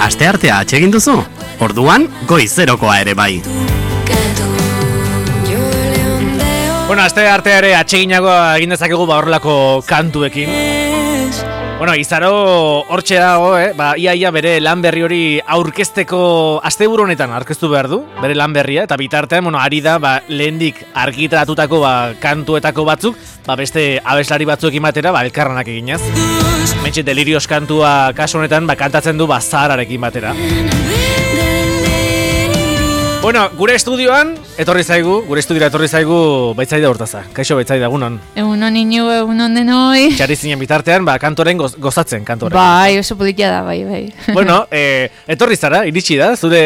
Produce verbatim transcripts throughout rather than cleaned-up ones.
Asteartea atsegin duzu? Orduan, goizerokoa ere bai. Bueno, asteartea ere atseginagoa egin dezakegu ba horrelako kantuekin. Bueno, Izaro hortxe dago, eh? Ba, ia ia bere lan berri hori aurkezteko asteburu honetan aurkeztu behar du, bere lan berria, eta bitartean, bueno, ari da, ba, lehendik argitaratutako ba, kantuetako batzuk, ba, beste abeslari batzuekin batera, ba, elkarranak eginez. Mentxe, Delirios kantua kasu honetan, ba, kantatzen du, ba, Zahararekin batera. Bueno, gure estudioan, etorri zaigu, gure estudiora etorri zaigu Baitzaide Hortaza. Kaixo Baitzaide, egunon. Egunon inu, egunon denoi. Txarri zinen bitartean, ba, kantoren goz, gozatzen, kantoren. Bai, oso politia da, bai, bai. Bueno, eh, etorri zara, iritsi da, zure...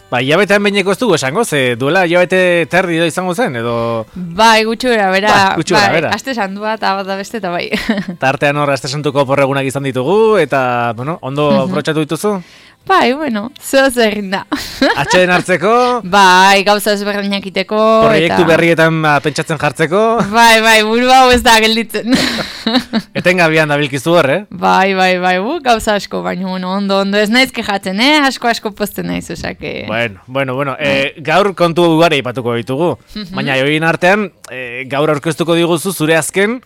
Ba, hilabetean behineko ez dugu esango, ze duela hilabete terdi do izango zen, edo... Bai, gutxura, bera, ba, gutxura, bai, bera. aste sandua eta bat da beste eta bai. Tartean hor, aste santuko porregunak izan ditugu, eta, bueno, ondo uh-huh. aprotxatu dituzu? Bai, bueno, zoaz egin da. Atxeden hartzeko? Bai, gauza ezberdinak iteko. Proiektu eta... berrietan ba, pentsatzen jartzeko? Bai, bai, buru hau ez da gelditzen. Etengabian dabilkizu hor, eh? Bai, bai, bai, bu, gauza asko, baina bueno, ondo, ondo ez naiz kejatzen, eh? Asko, asko posten naiz, osake... Bueno, bueno, bueno, eh, gaur kontu ugari ipatuko ditugu. Baina join artean, eh, gaur aurkeztuko diguzu zure azken,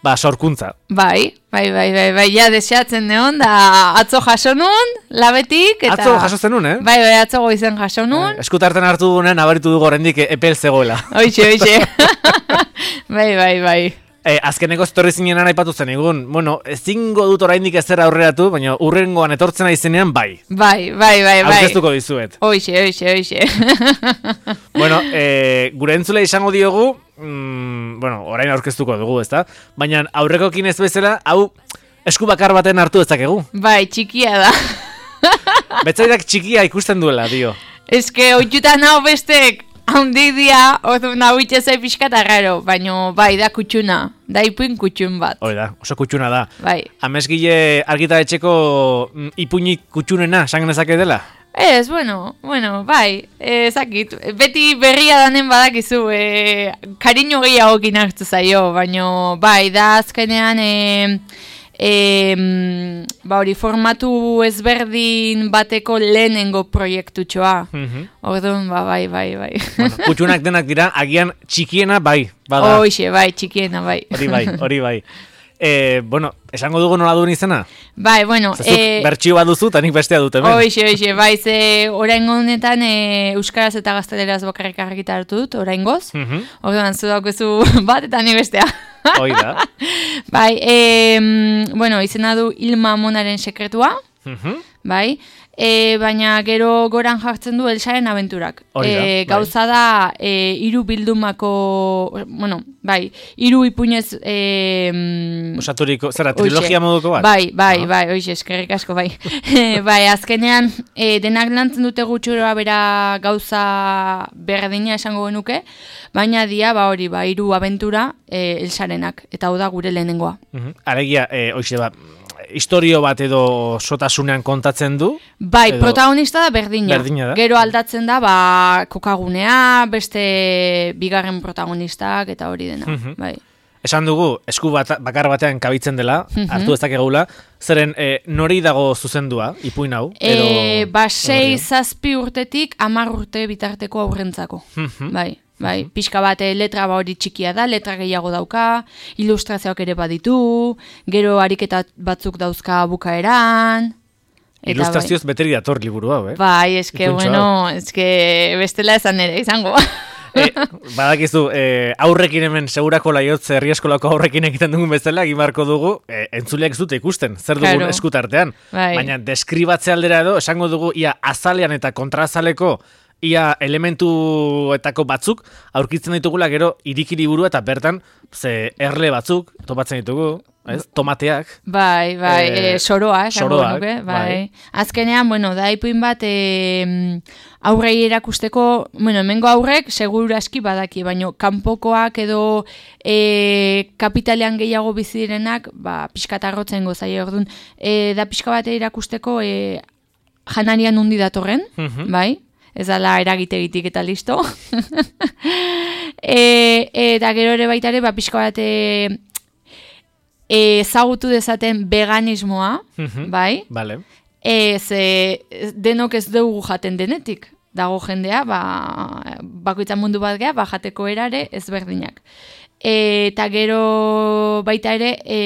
ba, sorkuntza. Bai, bai, bai, bai, bai, ja deseatzen neon, da atzo jaso nun, labetik, eta... Atzo jaso zenun, eh? Bai, bai, atzo goizen jaso nun. Eh, eskutarten hartu dugunen, abaritu dugu horrendik epel zegoela. Hoixe, hoixe. Bai, bai, bai. Eh, azkeneko etorri zinenan aipatu zen egun, bueno, ezingo dut oraindik ezer aurreratu, baina urrengoan etortzen aizenean bai. Bai, bai, bai, bai. Aurkeztuko dizuet. Hoixe, hoixe, hoixe. Bueno, eh, gure entzule izango diogu, mm, bueno, orain aurkeztuko dugu, ezta? Baina aurrekokin ez bezala, hau esku bakar baten hartu dezakegu. Bai, txikia da. Betzaidak txikia ikusten duela, dio. Eske, oitutan hau bestek, haundi dia, ozu nahu itxezai pixka eta raro, baina bai, da kutxuna, da ipuin kutxun bat. Hori da, oso kutxuna da. Bai. Amezgile argitaretxeko ipuinik kutxunena, sangen ezake dela? Ez, bueno, bueno, bai, ezakit, beti berria danen badakizu, e, kariño gehiagokin hartu zaio, baina bai, da azkenean, e, e, ba hori, formatu ezberdin bateko lehenengo proiektutxoa. Mm-hmm. Orduan, ba, bai, bai, bai. Bueno, kutxunak denak dira, agian txikiena bai, bada. Hoixe, bai, txikiena bai. Hori bai, hori bai. Eh, bueno, esango dugu nola duen izena? Bai, bueno... Zazuk eh, bertxio bat duzu, eta nik bestea dut hemen. Hoixe, hoixe, bai, ze oraingo honetan e, euskaraz eta gazteleraz bakarrik argitaratu dut, oraingoz. Mm-hmm. Orduan, zu daukezu bat eta ni bestea. Hoi da. Bai, e, bueno, izena du Ilma Monaren sekretua, mm-hmm. bai, e, baina gero goran jartzen du Elsaren abenturak. Hori da, e, gauza bai. da, e, iru bildumako, bueno, bai, iru ipuinez... E, Osaturiko, zera, trilogia moduko bat? Bai, bai, ah. bai, oixe, eskerrik asko, bai. Bai, azkenean, e, denak lantzen dute gutxura bera gauza berdina esango genuke, baina dia, ba hori, ba, iru abentura e, Elsarenak, eta hau da gure lehenengoa. Uh-huh. Aregia, e, oixe, ba, historio bat edo sotasunean kontatzen du? Bai, edo... protagonista da berdina. Berdina da. Gero aldatzen da, ba, kokagunea, beste bigarren protagonistak, eta hori dena, uh-huh. bai. Esan dugu, esku bat, bakar batean kabitzen dela, uh-huh. hartu ezakegula, zeren e, nori dago zuzendua, ipuin hau? Edo... E, ba, sei zazpi urtetik, hamar urte bitarteko aurrentzako, uh-huh. bai. Bai, pixka bat letra ba hori txikia da, letra gehiago dauka, ilustrazioak ere baditu, gero ariketa batzuk dauzka bukaeran. Ilustrazioz bai. Beteri dator liburu hau, eh? Bai, eske, bueno, eske bestela esan ere izango. e, badakizu, e, aurrekin hemen segurako laiotze herri eskolako aurrekin egiten dugun bezala, egimarko dugu, e, entzuleak ez dute ikusten, zer dugun claro. Eskutartean. Bai. Baina deskribatze aldera edo, esango dugu, ia azalean eta kontrazaleko, ia elementuetako batzuk aurkitzen ditugula gero iriki liburu eta bertan ze erle batzuk topatzen ditugu, ez? Tomateak. Bai, bai, e, e, soroa, soroak, nuke, bai. bai. Azkenean, bueno, da ipuin bat e, aurrei erakusteko, bueno, hemengo aurrek seguru aski badaki, baino kanpokoak edo e, kapitalean gehiago bizi direnak, ba, pixkatarrotzen gozaia orduan, e, da pixka bat erakusteko e, janarian undi datorren, mm-hmm. bai? Ez dala eragitegitik eta listo. e, eta gero ere baita ere, ba, pixka bat ezagutu dezaten veganismoa, mm-hmm. bai? Vale. Ez, e, denok ez dugu jaten denetik. Dago jendea, ba, bakoitzan mundu bat geha, ba, jateko erare ezberdinak. E, eta gero baita ere e,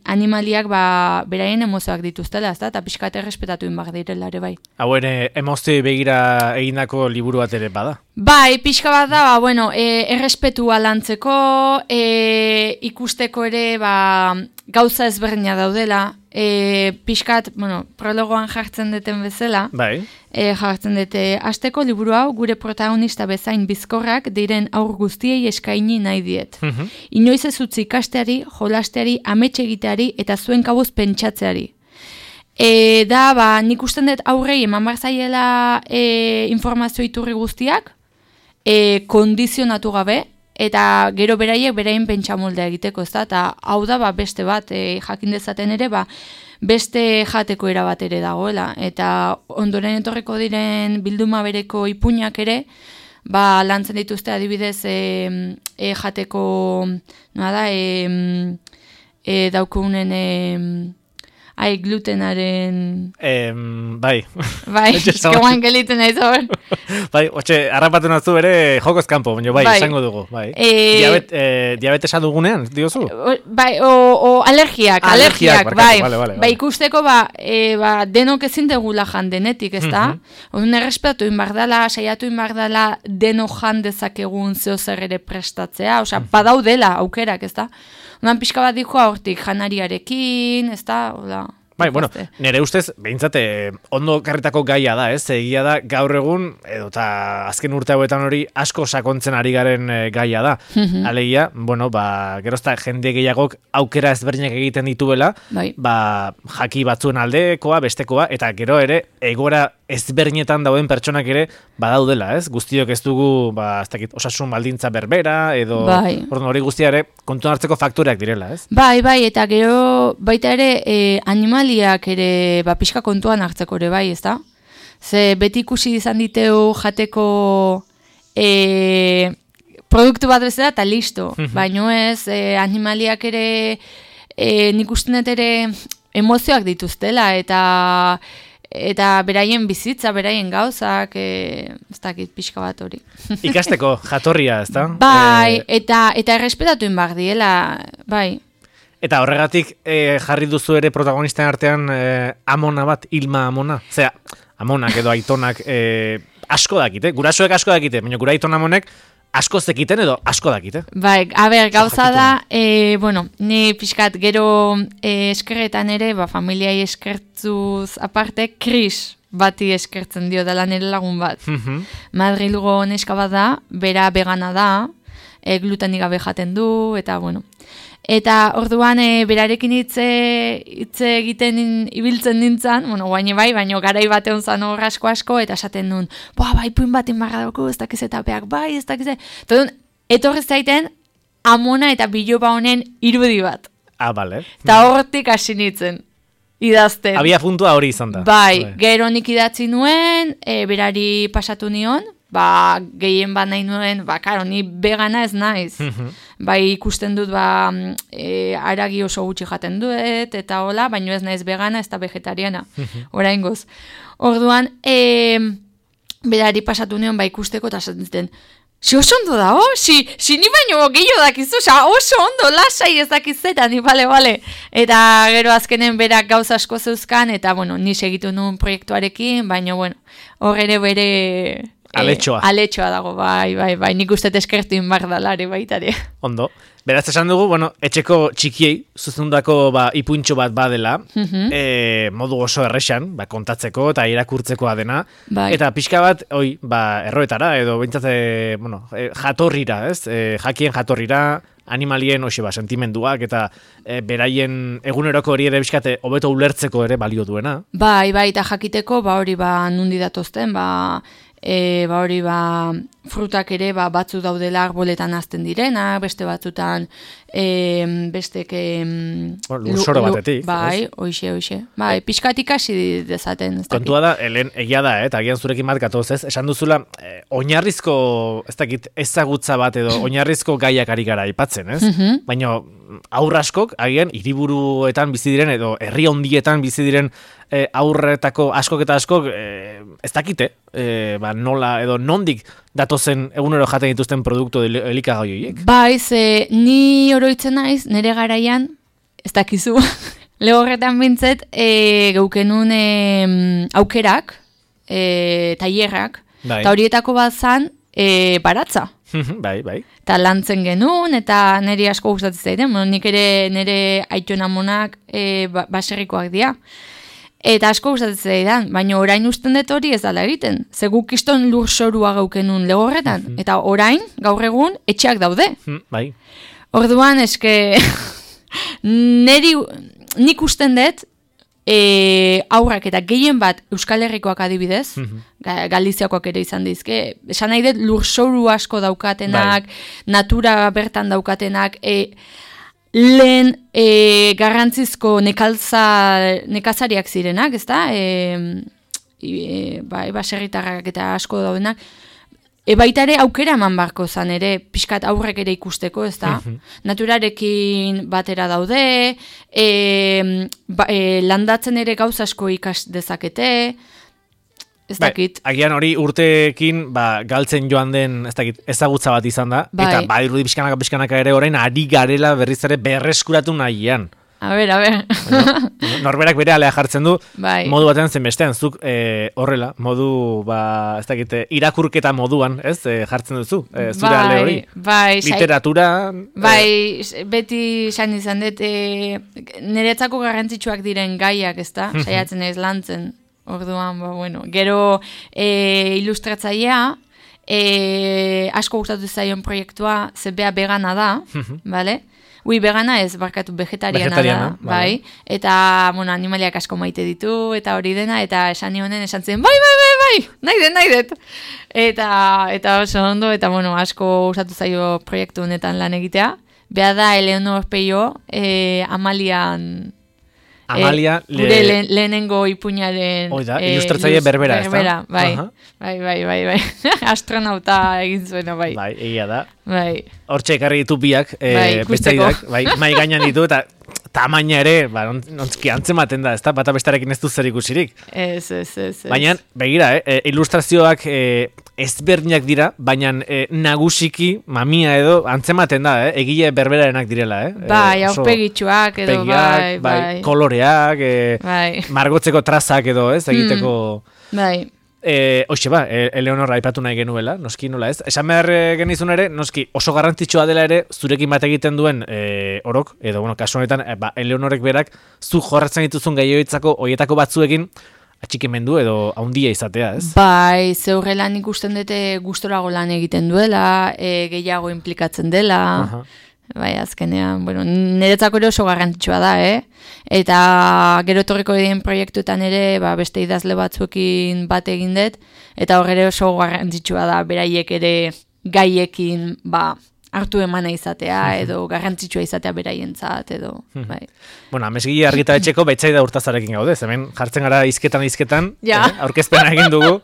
animaliak ba, beraien emozioak dituztela, ezta? Eta pixka eta errespetatu inbak direla ere bai. Hau ere, emozio begira egindako liburu bat ere bada? Bai, pixka bat da, ba, bueno, e, errespetua lantzeko, e, ikusteko ere ba, gauza ezberdina daudela, e, pixkat, bueno, prologoan jartzen duten bezala, bai. E, jartzen dute, asteko liburu hau gure protagonista bezain bizkorrak diren aur guztiei eskaini nahi diet. Mhm. Inoiz ez utzi ikasteari, jolasteari, amets egiteari eta zuen kabuz pentsatzeari. E, da, ba, nik usten dut aurrei eman bar zaiela e, informazio iturri guztiak, e, kondizionatu gabe, eta gero beraiek beraien pentsamoldea egiteko, ez da, eta hau da, ba, beste bat, e, jakin dezaten ere, ba, beste jateko era bat ere dagoela, eta ondoren etorreko diren bilduma bereko ipuinak ere, ba, lantzen dituzte adibidez e, e, jateko, noa da, e, e, daukunen, e, ai, glutenaren... E, bai. Bai, eskeguan geliten nahi zor. Bai, otxe, harrapatu nazu bere jokoz kanpo, baina bai, bai, esango dugu. Bai. E... Diabet, e, diabetesa dugunean, diozu? Bai, o, o alergiak, ah, alergiak, alergiak bai. Vale, vale, bai, vale. Ikusteko, ba, e, ba, denok ezin degula jan denetik, ez da? Mm-hmm. Odun errespetatu inbardala, saiatu inbardala denok jan dezakegun zeo zer ere prestatzea, osea, mm-hmm. badaudela aukerak, ez da? Onan pixka bat dikoa hortik janariarekin, ez da? Oda... Bai, bueno, nire ustez, behintzate, ondo karritako gaia da, ez? Egia da, gaur egun, edo eta azken urte hauetan hori asko sakontzen ari garen e, gaia da. Mm-hmm. Alegia, bueno, ba, gerozta jende gehiagok aukera ezberdinak egiten dituela, bai. Ba, jaki batzuen aldekoa, bestekoa, eta gero ere, egora ezberdinetan dauden pertsonak ere badaudela, ez? Guztiok ez dugu, ba, ez dakit, osasun baldintza berbera, edo bai. Hori guztia ere, kontuan hartzeko faktoreak direla, ez? Bai, bai, eta gero baita ere, e, animaliak ere, ba, pixka kontuan hartzeko ere, bai, ez da? Ze beti ikusi izan diteu jateko e, produktu bat bezala, eta listo. Baino ez, e, animaliak ere, e, nik usten dut ere emozioak dituztela, eta... eta beraien bizitza, beraien gauzak, e, ez dakit pixka bat hori. Ikasteko jatorria, ez da? Bai, e... eta, eta errespetatu inbak diela, bai. Eta horregatik e, jarri duzu ere protagonisten artean e, amona bat, Ilma Amona. Zera, amonak edo aitonak e, asko dakite, gurasoek asko dakite, baina gura aiton amonek asko zekiten edo asko dakite. Bai, a ber, gauza da, e, bueno, ni pixkat gero e, eskerretan ere, ba, familiai eskertzuz aparte, Kris bati eskertzen dio dela nire lagun bat. Mm-hmm. Madrilgo neska bat da, bera vegana da, e, glutenik gabe jaten du, eta bueno. Eta orduan e, berarekin hitze hitze egiten in, ibiltzen nintzen, bueno, guaini bai, baina garai batean zan hor asko asko, eta esaten duen, boa, bai, puin bat inbarra dauku, ez dakiz eta peak, bai, ez dakiz. Eta etorri zaiten, amona eta biloba honen irudi bat. Ah, bale. Eta hortik hasi nintzen, idazten. Abia puntua hori izan da. Bai, bai. Gero nik idatzi nuen, e, berari pasatu nion, ba, gehien bat nahi nuen, ba, karo, ni vegana ez naiz. Mm-hmm. Bai, ikusten dut, ba, e, aragi oso gutxi jaten duet, eta hola, baino ez naiz vegana, ez da vegetariana, mm-hmm. oraingoz. Orduan, e, berari pasatu nion, ba, ikusteko, eta zaten, si oso ondo da, oh? Si, si ni baino gehiago dakizu, sa, oso ondo, lasai ez dakizeta, ni bale, bale. Eta gero azkenen berak gauza asko zeuzkan, eta, bueno, ni segitu nuen proiektuarekin, baino, bueno, hor ere bere... Aletxoa. E, aletxoa dago, bai, bai, bai, nik uste eskertu inbardalare baitare. Ondo. Beraz esan dugu, bueno, etxeko txikiei, zuzendako ba, ipuintxo bat badela, mm-hmm. e, modu oso erresan, ba, kontatzeko eta irakurtzekoa dena, bai. Eta pixka bat, oi, ba, erroetara, edo bintzate, bueno, e, jatorrira, ez? E, jakien jatorrira, animalien, hoxe, ba, sentimenduak, eta e, beraien eguneroko hori ere bizkate, hobeto ulertzeko ere balio duena. Bai, bai, eta jakiteko, ba, hori, ba, nundi datozten, ba, E, ba hori ba frutak ere ba, batzu daudela arboletan hazten direna, beste batzutan e, bestek e, bueno, lursoro batetik. Bai, oixe, oixe. Bai, pixkatik hasi dezaten. Kontua da, helen egia da, eh, eta agian zurekin bat gatoz ez, esan duzula, eh, oinarrizko, ez dakit, ezagutza bat edo oinarrizko gaiak ari gara aipatzen, ez? Mhm. Baina aurraskok, agian, hiriburuetan bizi diren edo herri hondietan bizi diren eh, aurretako askok eta askok, eh, ez dakite, eh, ba, nola edo nondik datozen egunero jaten dituzten produktu elikagai horiek. Bai, ze ni oroitzen naiz, nire garaian, ez dakizu, lehorretan bintzet, e, geukenun e, aukerak, e, tailerrak, Bai. eta horietako bat zan, e, baratza. bai, bai. Eta lantzen genuen, eta niri asko gustatzen zaiten, bueno, nik ere nire aitona monak e, ba, baserrikoak dira. Eta asko gustatzen zaidan, baina orain usten dut hori ez dala egiten. Ze guk iston lursorua gaukenun lehorretan, Mhm. eta orain, gaur egun, etxeak daude. Hm, bai. Orduan, eske, neri, nik usten dut, e, aurrak eta gehien bat Euskal Herrikoak adibidez, Mhm. Ga- Galiziakoak ere izan dizke, esan nahi dut lurzoru asko daukatenak, Bai. natura bertan daukatenak, e, lehen e, garrantzizko nekalza, nekazariak zirenak, ezta? E, e, bai, baserritarrak eta asko daudenak, E baita ere aukera eman barko zan ere, pixkat aurrek ere ikusteko, ez da? Mhm. Naturarekin batera daude, e, ba, e, landatzen ere gauz asko ikas dezakete, ez dakit. Bai, agian hori urteekin ba, galtzen joan den ez dakit, ezagutza bat izan da, Bai. eta badirudi pixkanaka pixkanaka ere orain ari garela berriz ere berreskuratu nahian. A ber, a ber. Bueno, norberak bere alea jartzen du, Bai. modu batean zen bestean, zuk e, horrela, modu, ba, ez dakit, irakurketa moduan, ez, e, jartzen duzu, e, zure Bai, ale hori. bai, sai- Literatura... Bai, beti esan izan dut, e, niretzako garrantzitsuak diren gaiak, ezta? Saiatzen ez lantzen. Orduan, ba, bueno, gero e, ilustratzailea, e, asko gustatu zaion proiektua, ze bea vegana da, bale? Ui, vegana ez, barkatu, vegetariana, Vegetariana, da, vale. bai. Eta, bueno, animaliak asko maite ditu, eta hori dena, eta esan nionen esan zen, bai, bai, bai, bai, nahi det, nahi det. Eta, eta oso ondo, eta, bueno, asko gustatu zaio proiektu honetan lan egitea. Bea da, Eleonor Peio, eh, Amalian... Amalia, eh, gure le... lehenengo ipuñaren... Oida, ilustratzaile berbera, ez da? Berbera, bai, Aha. bai, bai, bai, bai. Astronauta egin zuena, bai. Bai, egia da. Bai. Hortxe ekarri ditu biak, e, Bai, beste ikusteko. idak, bai, mai gainan ditu, eta tamaina ere, ba, nontzki antzematen da, ez da, bata bestarekin ez du zer ikusirik. Ez, ez, ez, ez. Baina, begira, eh, ilustrazioak eh, ezberdinak dira, baina eh, nagusiki, mamia edo, antzematen da, eh, egile berberarenak direla, eh? Bai, Eh, oso aurpegitxuak edo, pegiak, bai, bai. koloreak, eh, Bai, margotzeko trazak edo, ez, egiteko... bai. E, Hoxe ba, e, Eleonor aipatu nahi genuela, noski nola ez. Esan behar e, genizun ere, noski oso garrantzitsua dela ere, zurekin bat egiten duen e, orok, edo bueno, kasu honetan, e, ba, Eleonorek berak, zu jorratzen dituzun gaioitzako, hoietako batzuekin, atxikimendu edo haundia izatea, ez? Bai, zeurrelan ikusten dute gustorago lan egiten duela, e, gehiago implikatzen dela, Aha. bai, azkenean, bueno, niretzako ere oso garrantzitsua da, eh? Eta gero etorriko diren proiektuetan ere, ba, beste idazle batzuekin bat egin dut, eta hor ere oso garrantzitsua da, beraiek ere gaiekin, ba, hartu emana izatea, edo garrantzitsua izatea beraientzat, edo, bai. Bueno, amesgile argitaletxeko betzaida urtazarekin gaude, hemen jartzen gara izketan izketan, Ja. eh, aurkezpena egin dugu.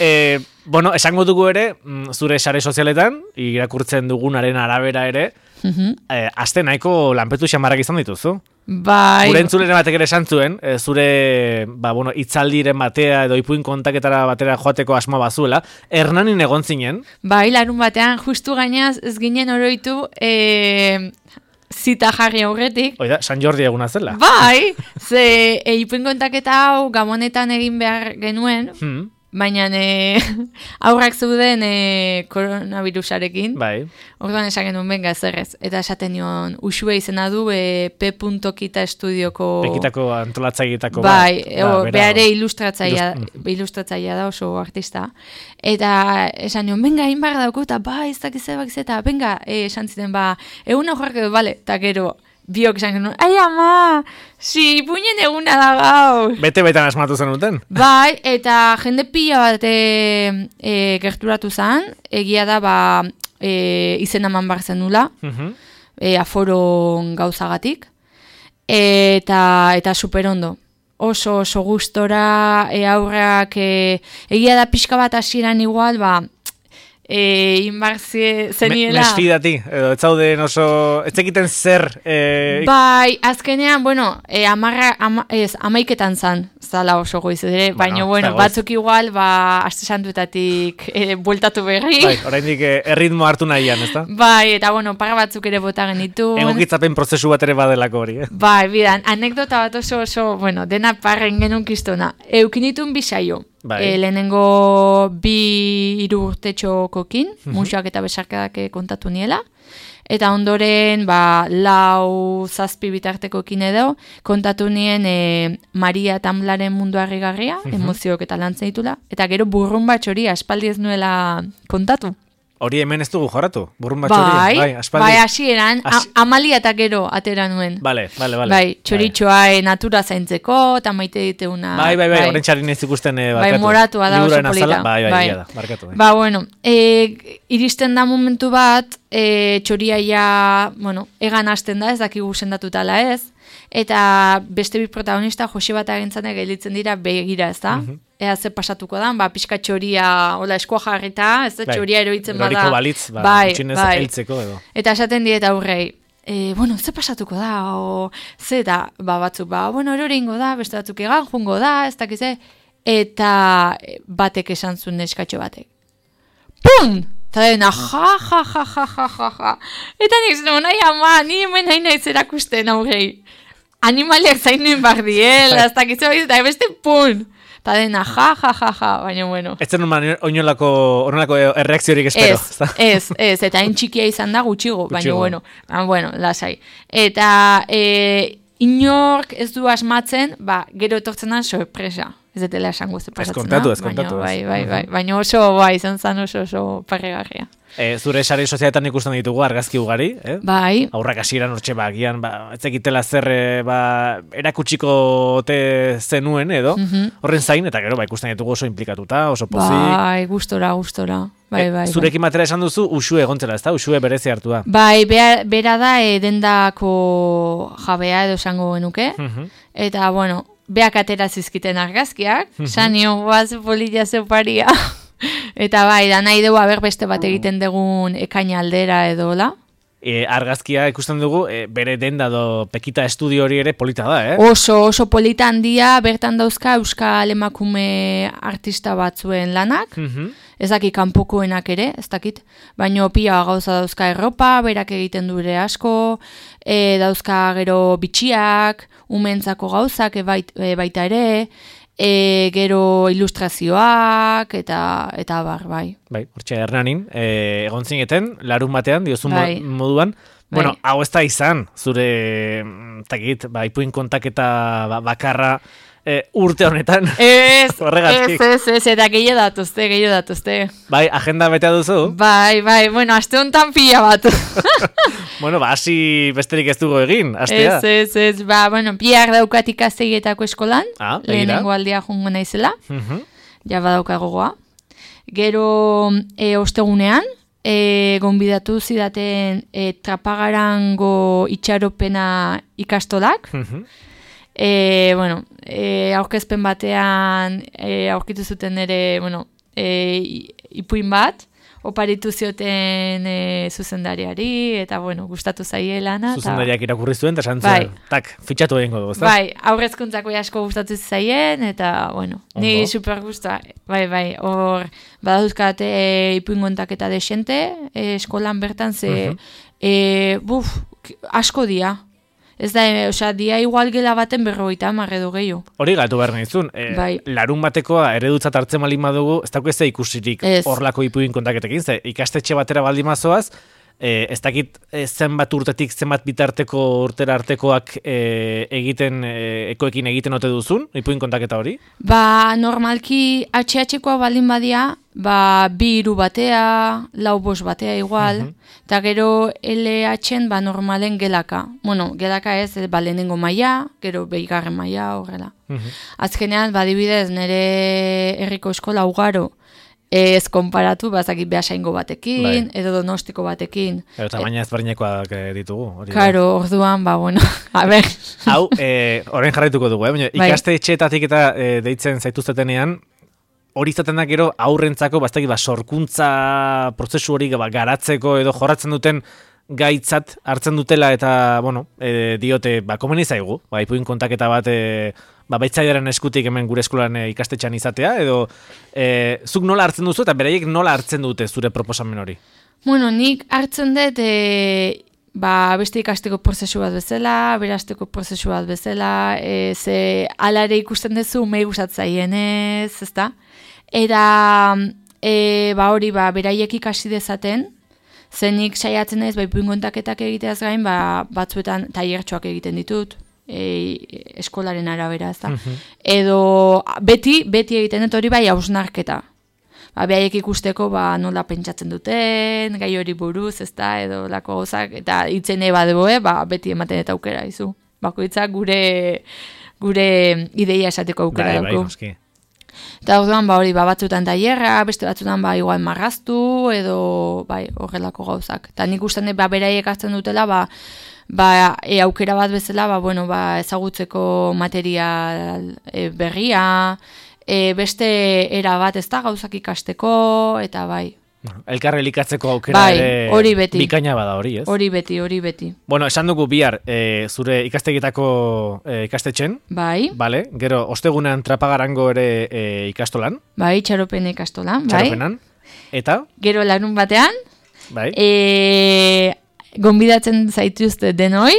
E, bueno, esango dugu ere, mm, zure sare sozialetan, irakurtzen dugunaren arabera ere, Mhm. e, aste nahiko lanpetu xamarrak izan dituzu. Bai, Gure entzuleren batek ere esan zuen, e, zure ba, bueno, itzaldiren batea edo ipuin kontaketara batera joateko asmoa bazuela, Hernanin egon zinen, bai, larun batean, justu gainaz, ez ginen oroitu, e, zita jarri aurretik, oida, San Jordi eguna zela. bai, ze e, ipuin kontaketa hau gamonetan egin behar genuen, Hmm, baina e, aurrak zeuden e, koronavirusarekin, bai, orduan esan genuen benga zerrez, eta esaten nion, usue izena du e, P. Kita estudioko... pekitako antolatzaileetako Bai, bat. o, Ba, bera, beare ilustratzaia, Ilust- ilustratzaia da oso artista. Eta esan nion, benga, hain barra dauko, eta ba, ez dakiz ebak eta benga, e, esan ziten, ba, egun horrak edo, bale, eta gero, biok esan genuen, ai ama, si, ipuinen eguna da gaur. Bete-betan asmatu zenuten? Bai, eta jende pila bat e, e, gerturatu zen, egia da, ba, e, izen eman bar zenula, uh-huh. e, aforo gauzagatik, eta, eta superondo. Oso, oso gustora, e, aurrak, e, egia da pixka bat hasieran igual, ba, e, inbarzie zeniela. Me, mesfidati, edo, ez zauden oso, ez zekiten zer. E... Bai, azkenean, bueno, e, amarra, ama, ez, amaiketan zan, zala oso goiz, ere, bueno, baina, bueno, batzuk igual, ba, aste santuetatik e, bueltatu berri. Bai, oraindik e, erritmo hartu nahian, ezta? Bai, eta, bueno, para batzuk ere bota genitu. Egokitzapen prozesu bat ere badelako hori, eh? Bai, bidan, anekdota bat oso, oso, bueno, dena parren genuen kistona. Eukinitun bisaio. Bai. E, lehenengo bi hiru urtetxokokin, uh-huh. musuak eta besarkadak kontatu niela. Eta ondoren, ba, lau zazpi bitartekokin edo, kontatu nien e, Maria Tamblaren mundu harrigarria, uh-huh. emozioak eta lantzen ditula. Eta gero burrun bat hori aspaldi ez nuela kontatu. Hori hemen ez dugu jorratu, burrun bat hori. Bai, bai, aspaldi. Bai, hasieran, As... amalia eta gero atera nuen. Bale, bale, bale. Bai, txoritxoa bai. Natura zaintzeko, eta maite diteuna. Bai, bai, bai, bai. Horren txarin ez ikusten e, barkatu. Bai, moratua da oso polita. Bai, bai, bai, da, barkatu. Bai. Ba, bueno, e, iristen da momentu bat, e, txoria ja, bueno, egan hasten da, ez dakigu sendatutala ez, eta beste bi protagonista, Jose bat agentzanek gelditzen dira begira, ez da? Uh-huh. Ea ze pasatuko da, ba, pixka txoria, hola, eskoa jarrita, ez da, bai, txoria eroitzen bada. Eroriko balitz, ba, bai, bai. Eltzeko edo. Eta esaten diet aurrei, e, bueno, ze pasatuko da, o, ze da, ba, batzuk, ba, bueno, eroringo da, beste batzuk egan, jungo da, ez dakize, eta batek esan zuen neskatxo batek. Pum! Eta dena, ja, ja, ja, ja, ja, ja, ja. Eta nik zen, nahi ama, ni hemen nahi nahi zerakusten aurrei. Animaliak zainuen bardiel, ez dakize, eta beste, pum! Eta dena, ja, ja, ja, ja, baina bueno. Ez zen oinolako, ornolako erreakziorik espero. Ez, ez, ez, eta hain txikia izan da gutxigo, baina bueno, ah, bueno, lasai. Eta e, inork ez du asmatzen, ba, gero etortzen da sorpresa. Ez detela esango ze pasatzen da. Ez kontatu, ez kontatu. Bai, bai, bai, baina oso, bai, izan zan oso, oso parregarria. E, zure sare sozialetan ikusten ditugu argazki ugari, eh? Bai. Aurrak hasieran hortxe ba, gian, ba, ez ekitela zer ba, erakutsiko te zenuen edo, mm-hmm. horren zain, eta gero ba, ikusten ditugu oso implikatuta, oso pozik. Bai, gustora, gustora. Bai, bai, e, zurekin batera esan duzu, usue egontzela, ez da? Usue berezi hartu da. Bai, bera, bera da e, dendako jabea edo esango genuke, mm-hmm. eta, bueno, beak atera zizkiten argazkiak, mm-hmm. sanio, guaz, polilla zeparia. Eta bai, da nahi dugu haber beste bat egiten dugun ekaina aldera edo la. E, argazkia ikusten dugu, e, bere denda do Pekita estudio hori ere polita da, eh? Oso, oso polita handia, bertan dauzka euskal emakume artista batzuen lanak, mm-hmm. ez dakit kanpokoenak ere, ez dakit, baina pila gauza dauzka erropa, berak egiten du ere asko, e, dauzka gero bitxiak, umentzako gauzak e, bait, e, baita ere, E, gero ilustrazioak eta eta bar, bai. Bai, hortxe Hernanin, e, egon zineten, larun batean, diozun bai. moduan, bai. Bueno, hau ez da izan, zure, takit, ba, ipuin kontaketa ba, bakarra e, urte honetan. Ez, ez, ez, ez, eta gehiago datuzte, gehiago datuzte. Bai, agenda betea duzu? Bai, bai, bueno, aste honetan pila bat. Bueno, ba, hasi besterik ez dugu egin, astea. Ez, ez, ez, ba, bueno, bihar daukat ikastegietako eskolan, ah, lehenengo aldia jungo naizela, uh-huh. ja badauka gogoa. Gero, e, ostegunean, e, gonbidatu zidaten e, Trapagarango itxaropena ikastolak, uh-huh. e, bueno, e, aurkezpen batean e, aurkitu zuten ere, bueno, e, ipuin bat, oparitu zioten e, zuzendariari, eta, bueno, gustatu zaiela. Zuzendariak irakurri zuen, eta santzen, bai. Tak, fitxatu egingo dugu, ezta? Bai, aurrezkuntzako asko gustatu zaien, eta, bueno, Ondo. Ni super gustua, bai, bai, hor, badauzkat e, ipuin kontaketa desente, e, eskolan bertan, ze, uh-huh. e, buf, asko dia. Ez da, e, osea, dia igual gela baten berrogeita hamar edo gehiago. Hori gatu behar nahizun. E, bai. Larun batekoa eredutzat hartzen malin badugu, ez dago ez da ikusirik horlako ipuin kontaketekin, ze ikastetxe batera baldin mazoaz, E, ez dakit e, zenbat urtetik, zenbat bitarteko urtera artekoak e, egiten, e, ekoekin egiten ote duzun, ipuin kontaketa hori? Ba, normalki H H-koa baldin badia, ba, bi hiru batea, lau bost batea igual, eta uh-huh. gero L H-en, ba, normalen gelaka. Bueno, gelaka ez, ba, lehenengo maila, gero behigarren maila, horrela. Uh-huh. Azkenean, ba, dibidez, nire herriko eskola ugaro, ez konparatu, bazakit behasaingo batekin, bai. Edo donostiko batekin. Eta tamaina ezberdinekoak ditugu. Hori Karo, orduan, ba, bueno, a ber. Hau, eh, orain jarraituko dugu, eh? Bai. Ikaste etxeetatik eta eh, deitzen zaituztetenean, hori izaten da gero aurrentzako, baztaki, ba, sorkuntza prozesu hori ba, garatzeko edo jorratzen duten gaitzat hartzen dutela eta, bueno, e, diote, ba, komeni zaigu, ba, ipuin kontaketa bat, e, ba, baitzaiaren eskutik hemen gure eskolan e, ikastetxean izatea, edo e, zuk nola hartzen duzu eta beraiek nola hartzen dute zure proposamen hori? Bueno, nik hartzen dut, e, ba, beste ikasteko prozesu bat bezala, berasteko prozesu bat bezala, e, ze alare ikusten duzu mei gustatzaienez, ezta? Eta, e, ba, hori, ba, beraiek ikasi dezaten, zenik saiatzen naiz, ba, ipuin kontaketak egiteaz gain, ba, batzuetan tailertxoak egiten ditut, e, eskolaren arabera, ezta? Uh-huh. Edo beti, beti egiten dut hori bai hausnarketa. Ba, behaiek ikusteko ba, nola pentsatzen duten, gai hori buruz, ezta, edo lako gauzak, eta itzen eba deboe, ba, beti ematen eta aukera, izu. Bakoitzak gure, gure ideia esateko aukera bai, dauko. Bai, noski. Eta orduan, ba, hori, ba, batzutan tailerra, beste batzutan, ba, igual marraztu, edo, bai, horrelako gauzak. Eta nik ustean, ba, beraiek hartzen dutela, ba, ba, e, aukera bat bezala, ba, bueno, ba, ezagutzeko material e, berria, e, beste era bat ez da gauzak ikasteko, eta bai. Elkarre elikatzeko aukera bai, ere hori beti. Bikaina bada hori, ez? Hori beti, hori beti. Bueno, esan dugu bihar e, zure ikastegitako e, ikastetxen. Bai. Vale, gero ostegunean Trapagarango ere e, ikastolan. Bai, txaropen ikastolan. Txaropenan. Bai. Eta? Gero larun batean. Bai. E, gonbidatzen zaituzte denoi.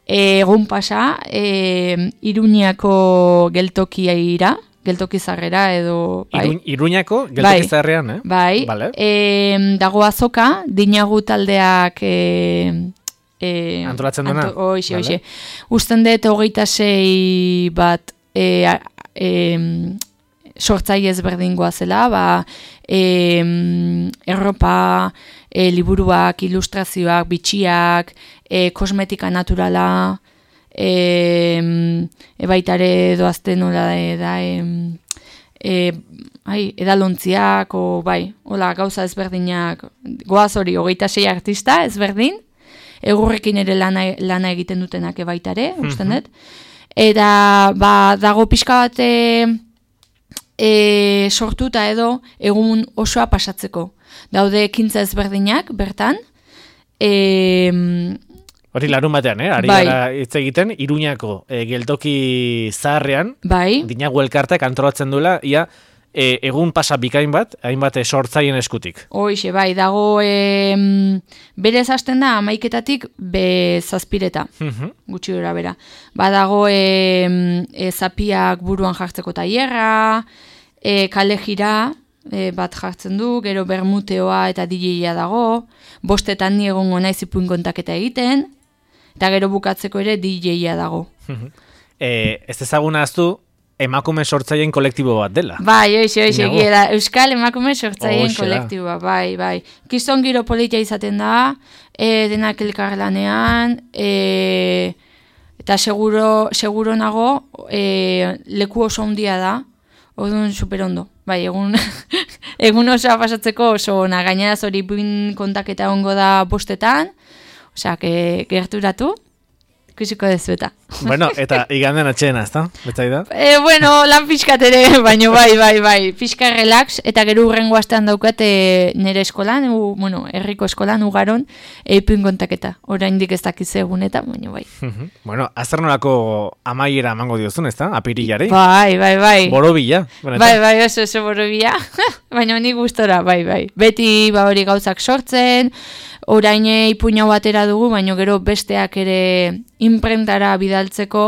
Egun pasa, e, Iruñako geltokia ira. Geltoki zarrera edo... Bai. Iruñ, Iruñako geltoki zarrean, eh? Bai, vale. E, dago azoka, dinagu taldeak... E, e, antolatzen duena? Anto, oixe, vale. Oixe. Usten dut hogeita sei bat e, e, sortzai ezberdingoa zela, ba, e, erropa, e, liburuak, ilustrazioak, bitxiak, e, kosmetika naturala... E, e baitare doazte nola da e, e, ai, edalontziak o bai, hola gauza ezberdinak goaz hori, hogeita sei artista ezberdin, egurrekin ere lana, lana egiten dutenak ebaitare, mm-hmm. usten dut, eta ba, dago pixka bat e, e, sortuta edo egun osoa pasatzeko, daude ekintza ezberdinak bertan, e, hori larun batean, eh? Ari bai. Gara hitz egiten, Iruñako e, geltoki zaharrean, bai. Dinagu elkartek antolatzen duela, ia e, egun pasa bikain bat, hainbat sortzaien eskutik. Hoixe, bai, dago e, berez hasten da amaiketatik be zazpireta, uh-huh. gutxi dira bera. Ba, dago e, e, zapiak buruan jartzeko tailerra, e, kale jira, e, bat jartzen du, gero bermuteoa eta D J-a dago, bostetan ni egongo naiz ipuin kontaketa egiten, eta gero bukatzeko ere D J-a dago. e, ez ezaguna aztu, emakume sortzaien kolektibo bat dela. Bai, oixe, oixe, gira, Euskal emakume sortzaien kolektiboa, bai, bai. Kiston giro politia izaten da, e, denak elkarlanean, e, eta seguro, seguro nago, e, leku oso handia da, orduan superondo. Bai, egun, egun osoa pasatzeko oso ona, gaineraz hori buin kontaketa ongo da bostetan, osea, que gerturatu, ikusiko dezu eta. Bueno, eta iganden atxeena, ezta? Betzai da? E, bueno, lan pixkat ere, baina bai, bai, bai, pixka relax, eta gero urrengo astean daukat e, nire eskolan, u, bueno, herriko eskolan ugaron, eipin kontaketa, oraindik ez dakiz egunetan, baina bai. Bueno, azer nolako amaiera emango diozun, ezta? Apirilari? Bai, bai, bai. Borobila. Benetan. Bai, bai, oso, oso borobila, baina ni gustora, bai, bai. Beti, ba, hori gauzak sortzen, orain ipuina batera dugu, baina gero besteak ere imprentara bidaltzeko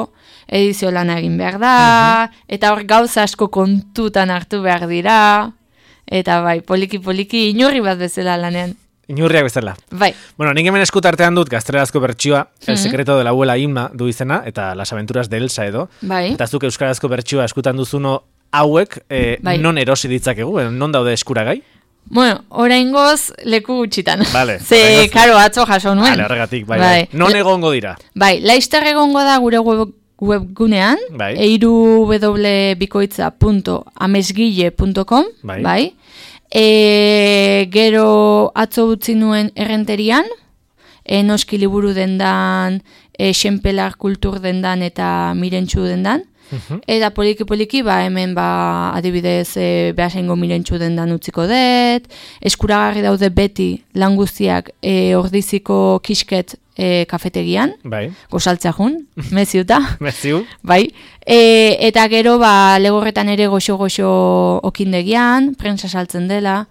edizio lana egin behar da, uh-huh. eta hor gauza asko kontutan hartu behar dira, eta bai, poliki-poliki inurri bat bezala lanean. Inurriak bezala. Bai. Bueno, nik hemen eskutartean dut gaztelerazko bertsioa, mm-hmm. El secreto de la abuela Inma du izena, eta las aventuras de Elsa edo. Bai. Eta zuk euskarazko bertsioa eskutan duzuno hauek, eh, bai. Non erosi ditzakegu, non daude eskuragai? Bueno, oraingoz leku gutxitan. Vale. Ze, karo, atzo jaso nuen. Vale, horregatik, bai, bai. bai. Non egongo dira? Bai, Laster egongo da gure web, webgunean, bai. eiru w bikoitza punto amesgile punto com, bai. bai. E, gero atzo utzi nuen errenterian, e, noski liburu dendan, e, xenpelar kultur dendan eta mirentxu dendan. Uh-huh. Eta poliki-poliki, ba, hemen ba, adibidez e, behasengo mirentxu dendan utziko dut, eskuragarri daude beti lan guztiak e, ordiziko kisket e, kafetegian, bai. Gozaltzea jun, meziuta. Meziu. Bai. E, eta gero, ba, legorretan ere goxo-goxo okindegian, prensa saltzen dela,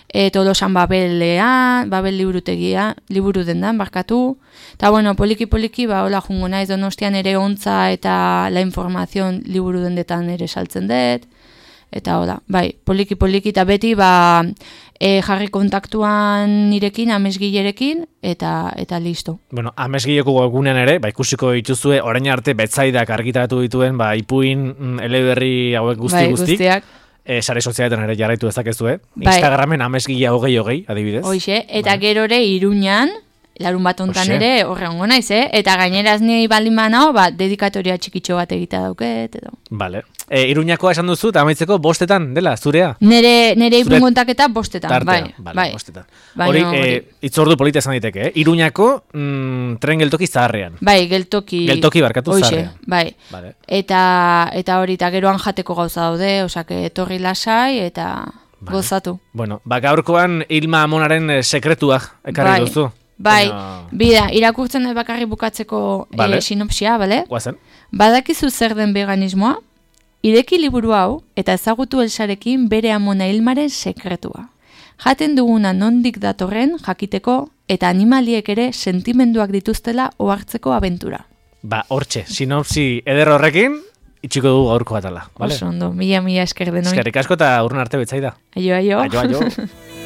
e, tolosan babelean, babel liburutegia, liburu dendan, barkatu. Eta, bueno, poliki-poliki, ba, hola jungo naiz Donostian ere ontza eta la informazion liburu dendetan ere saltzen dut. Eta, hola, bai, poliki-poliki, eta beti, ba, e, jarri kontaktuan nirekin, amesgilerekin, eta eta listo. Bueno, amesgileko webgunean ere, ba, ikusiko dituzue, orain arte betzaidak argitaratu dituen, ba, ipuin, eleberri hauek guzti bai, guztik. Guztiak. E, sare sozialetan ere jarraitu dezakezue. Bai. Instagramen amesgila hogei hogei, adibidez. Hoixe, eta bai. Gero ere Iruñan, larun bat ontan ere horre ongo naiz, eh? Eta gaineraz ni baldin banao, ba, dedikatoria txikitxo bat egita dauket, edo. Vale. E, Iruñakoa esan duzu, eta amaitzeko bostetan, dela, zurea? Nere, nere ipun kontaketa bostetan, tartea, bai. Vale, bai. Bostetan. Hori, no, e, itzordu polita esan diteke, eh? Iruñako mm, tren geltoki zaharrean. Bai, geltoki. Geltoki barkatu Oixe, zaharrean. Bai. Vale. Eta, eta hori, eta geroan jateko gauza daude, osake etorri lasai, eta vale. Gozatu. Bueno, ba, gaurkoan Ilma Amonaren sekretuak ekarri bai. duzu. Bai, Baina... bida, irakurtzen dut bakarri bukatzeko vale. e, sinopsia, bale? Guazen. Badakizu zer den veganismoa? Ireki liburu hau eta ezagutu Elsarekin bere amona Ilmaren sekretua. Jaten duguna nondik datorren jakiteko eta animaliek ere sentimenduak dituztela ohartzeko abentura. Ba, hortxe, sinopsi eder horrekin, itxiko dugu gaurko batala. Vale? Oso ondo, mila mila esker denoi. Eskerrik asko eta urrun arte betzaida. Aio, aio. Aio, aio.